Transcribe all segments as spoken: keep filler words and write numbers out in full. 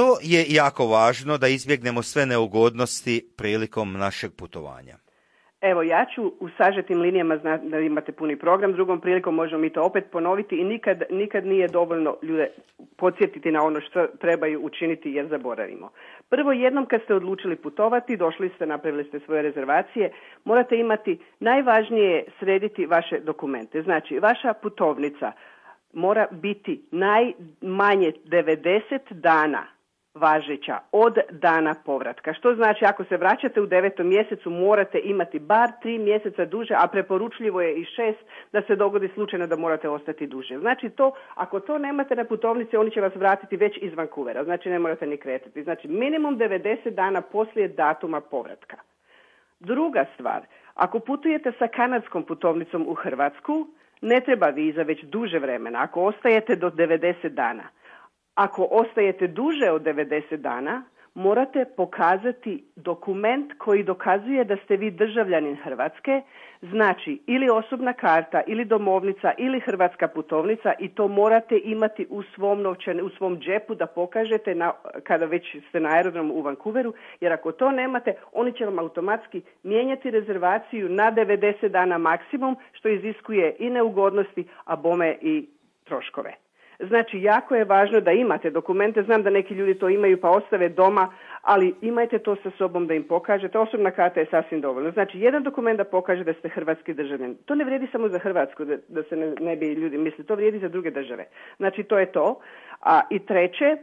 Što je jako važno da izbjegnemo sve neugodnosti prilikom našeg putovanja? Evo, ja ću u sažetim linijama, znati da imate puni program, drugom prilikom možemo mi to opet ponoviti i nikad, nikad nije dovoljno ljude podsjetiti na ono što trebaju učiniti jer zaboravimo. Prvo, jednom kad ste odlučili putovati, došli ste, napravili ste svoje rezervacije, morate imati, najvažnije je srediti vaše dokumente. Znači, vaša putovnica mora biti najmanje devedeset dana važeća od dana povratka. Što znači ako se vraćate u devetom mjesecu morate imati bar tri mjeseca duže, a preporučljivo je i šest da se dogodi slučajno da morate ostati duže. Znači to, ako to nemate na putovnici, oni će vas vratiti već iz Vancouvera, znači ne morate ni kretati. Znači minimum devedeset dana poslije datuma povratka. Druga stvar, ako putujete sa kanadskom putovnicom u Hrvatsku, ne treba viza već duže vremena, ako ostajete do devedeset dana. Ako ostajete duže od devedeset dana, morate pokazati dokument koji dokazuje da ste vi državljanin Hrvatske, znači ili osobna karta, ili domovnica, ili hrvatska putovnica i to morate imati u svom novčanu, u svom džepu da pokažete na, kada već ste na aerodromu u Vancouveru, jer ako to nemate, oni će vam automatski mijenjati rezervaciju na devedeset dana maksimum, što iziskuje i neugodnosti, a bome i troškove. Znači, jako je važno da imate dokumente, znam da neki ljudi to imaju pa ostave doma, ali imajte to sa sobom da im pokažete. Osobna karta je sasvim dovoljno. Znači, jedan dokument da pokaže da ste hrvatski državljanin. To ne vrijedi samo za Hrvatsku, da, da se ne, ne bi ljudi mislili, to vrijedi za druge države. Znači, to je to. A, i treće,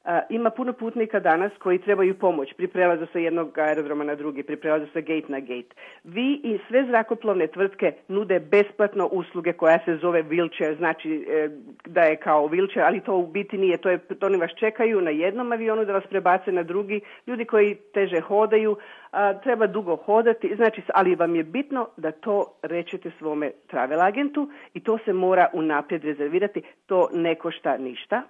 a, ima puno putnika danas koji trebaju pomoć pri prelazu sa jednog aerodroma na drugi, pri prelazu sa gate na gate. Vi i sve zrakoplovne tvrtke nude besplatno usluge koja se zove wheelchair, znači e, da je kao wheelchair, ali to u biti nije. To je, to oni vas čekaju na jednom avionu da vas prebace na drugi. Ljudi koji teže hodaju, a, treba dugo hodati, znači, ali vam je bitno da to rečete svome travel agentu i to se mora unaprijed rezervirati. To ne košta ništa.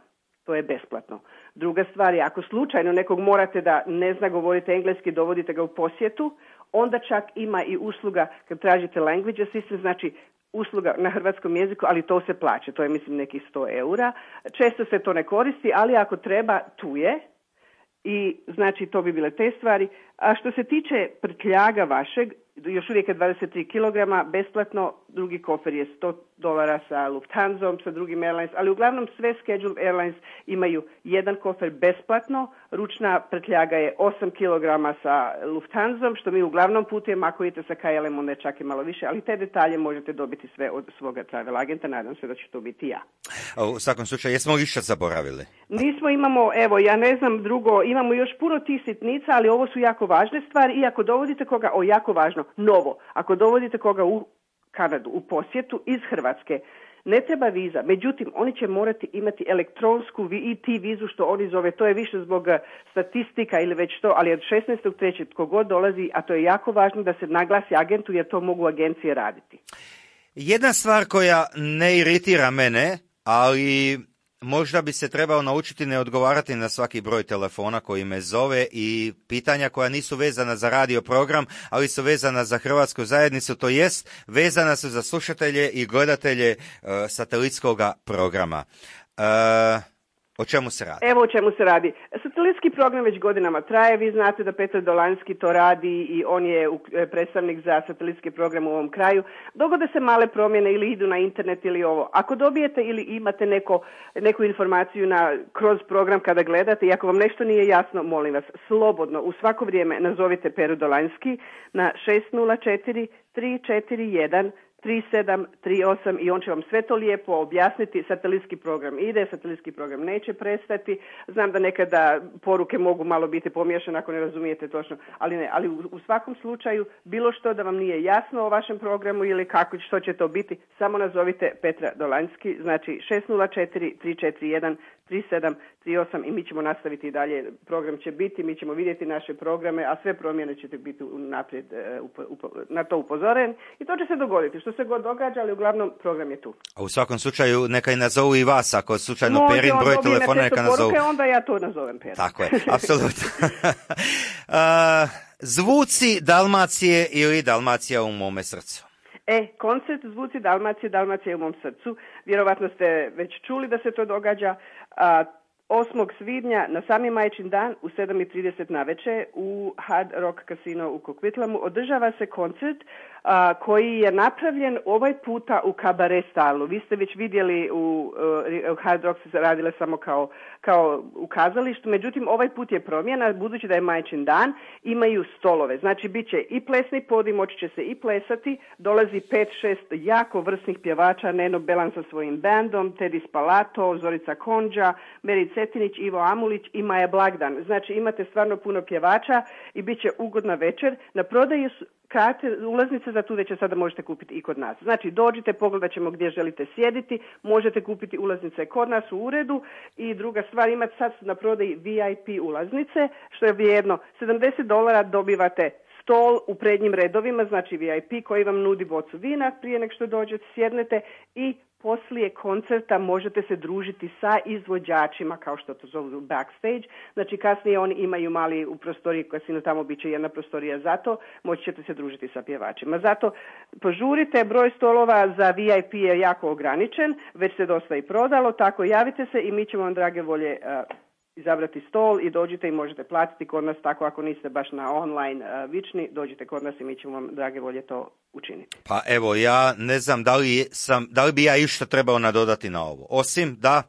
To je besplatno. Druga stvar je, ako slučajno nekog morate da ne zna govoriti engleski, dovodite ga u posjetu, onda čak ima i usluga kad tražite language assistant, znači usluga na hrvatskom jeziku, ali to se plaća, to je mislim nekih sto eura. Često se to ne koristi, ali ako treba, tu je. I znači to bi bile te stvari. A što se tiče prtljaga vašeg, još uvijek je dvadeset tri kilograma, besplatno, drugi kofer je sto dolara sa Lufthansom, sa drugim Airlines, ali uglavnom sve Scheduled Airlines imaju jedan kofer besplatno, ručna prtljaga je osam kilograma sa Lufthansom, što mi uglavnom putujemo, ako idete sa K L M onda je čak i malo više, ali te detalje možete dobiti sve od svoga travel agenta, nadam se da će to biti ja. A u svakom slučaju, jesmo li što zaboravili? Nismo, imamo, evo, ja ne znam drugo, imamo još puno tih sitnica, ali ovo su jako važne stvari i ako dovodite koga, o jako važno, novo, ako dovodite koga u Kanadu, u posjetu iz Hrvatske, ne treba viza, međutim, oni će morati imati elektronsku E T vizu, što oni zove, to je više zbog statistika ili već to, ali od šesnaestog trećeg tko god dolazi, a to je jako važno da se naglasi agentu, jer to mogu agencije raditi. Jedna stvar koja ne iritira mene, ali možda bi se trebao naučiti ne odgovarati na svaki broj telefona koji me zove i pitanja koja nisu vezana za radio program, ali su vezana za hrvatsku zajednicu, to jest vezana su za slušatelje i gledatelje uh, satelitskog programa. Uh, O čemu se radi? Evo o čemu se radi. Satelitski program već godinama traje. Vi znate da Petar Dolanski to radi i on je predstavnik za satelitski program u ovom kraju. Dogode se male promjene ili idu na internet ili ovo. Ako dobijete ili imate neko, neku informaciju na, kroz program kada gledate i ako vam nešto nije jasno, molim vas, slobodno u svako vrijeme nazovite Peru Dolanski na šest nula četiri tri četiri jedan tri sedam tri osam i on će vam sve to lijepo objasniti. Satelitski program ide, satelitski program neće prestati. Znam da nekada poruke mogu malo biti pomiješane ako ne razumijete točno, ali ne. Ali u, u svakom slučaju, bilo što da vam nije jasno o vašem programu ili kako, što će to biti, samo nazovite Petra Dolanski, znači šest nula četiri tri četiri jedan tri sedam tri osam i mi ćemo nastaviti i dalje. Program će biti, mi ćemo vidjeti naše programe, a sve promjene ćete biti naprijed uh, upo, na to upozoren i to će se dogoditi. Što se god događa, ali uglavnom program je tu. A u svakom slučaju neka i nazovu i vas, ako slučajno no, Perin broj telefona neka nazovu. Poruke, onda ja to nazovem Perin. Tako je, apsolutno. uh, zvuci Dalmacije ili Dalmacija u mome srcu? E, koncert Zvuci Dalmacije, Dalmacija u mom srcu. Vjerovatno ste već čuli da se to događa. A, osmog svibnja na sami Majčin dan u sedam i trideset navečer u Hard Rock Casino u Coquitlamu održava se koncert a, koji je napravljen ovaj puta u kabare stalu. Vi ste već vidjeli u, u Hard Rock se radile samo kao, kao u kazalištu, međutim ovaj put je promjena, budući da je Majčin dan, imaju stolove. Znači bit će i plesni podij, moći će se i plesati, dolazi pet šest jako vrsnih pjevača, Neno Belan sa svojim bandom, Teddy Spalato, Zorica Konđa, Meri Cetinić, Ivo Amulić i Maja Blagdan. Znači imate stvarno puno pjevača i bit će ugodna večer. Na prodaju su karte, ulaznice za tu večer sada možete kupiti i kod nas. Znači dođite, pogledat ćemo gdje želite sjediti, možete kupiti ulaznice kod nas u uredu i druga stvar, imate sad na prodaji V I P ulaznice, što je vrijedno sedamdeset dolara, dobivate stol u prednjim redovima, znači V I P koji vam nudi bocu vina prije nego što dođete, sjednete i poslije koncerta možete se družiti sa izvođačima, kao što to zovu backstage. Znači kasnije oni imaju mali u prostoriji kasino, tamo bit će jedna prostorija za to, moći ćete se družiti sa pjevačima. Zato požurite, broj stolova za V I P je jako ograničen, već se dosta i prodalo, tako javite se i mi ćemo vam drage volje uh, izabrati stol i dođite i možete platiti kod nas, tako ako niste baš na online uh, vični, dođite kod nas i mi ćemo vam drage volje to učiniti. Pa evo, ja ne znam da li, sam, da li bi ja išta trebao nadodati na ovo, osim da...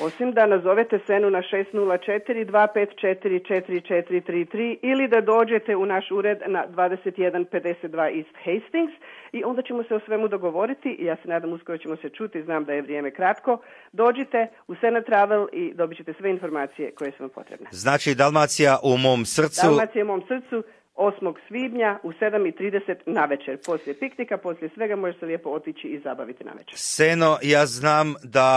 Osim da nazovete Senu na šest nula četiri, dva pet četiri, četiri četiri tri tri ili da dođete u naš ured na dvadeset jedan pedeset dva East Hastings i onda ćemo se o svemu dogovoriti i ja se nadam uskoro ćemo se čuti, znam da je vrijeme kratko. Dođite u Sena Travel i dobit ćete sve informacije koje su vam potrebne. Znači Dalmacija u mom srcu... Dalmacija u mom srcu. osmog svibnja u sedam i trideset navečer. Poslije piknika, poslije svega može se lijepo otići i zabaviti navečer. Seno, ja znam da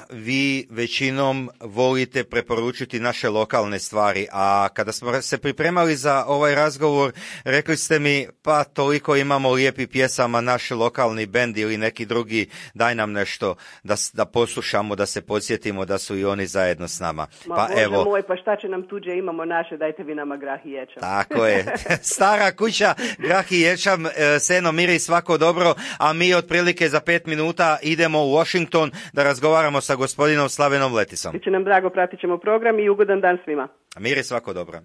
vi većinom volite preporučiti naše lokalne stvari, a kada smo se pripremali za ovaj razgovor, rekli ste mi, pa toliko imamo lijepih pjesama, naš lokalni bend ili neki drugi, daj nam nešto da, da poslušamo, da se podsjetimo da su i oni zajedno s nama. Ma pa Bože evo, moj, pa šta će nam tuđe, imamo naše, dajte vi nama grah i ječam. Tako je. Stara kuća, grah i ječam, Seno, miri, svako dobro, a mi otprilike za pet minuta idemo u Washington da razgovaramo sa gospodinom Slavenom Letisom. Biće nam drago, pratit ćemo program i ugodan dan svima. Miri, svako dobro.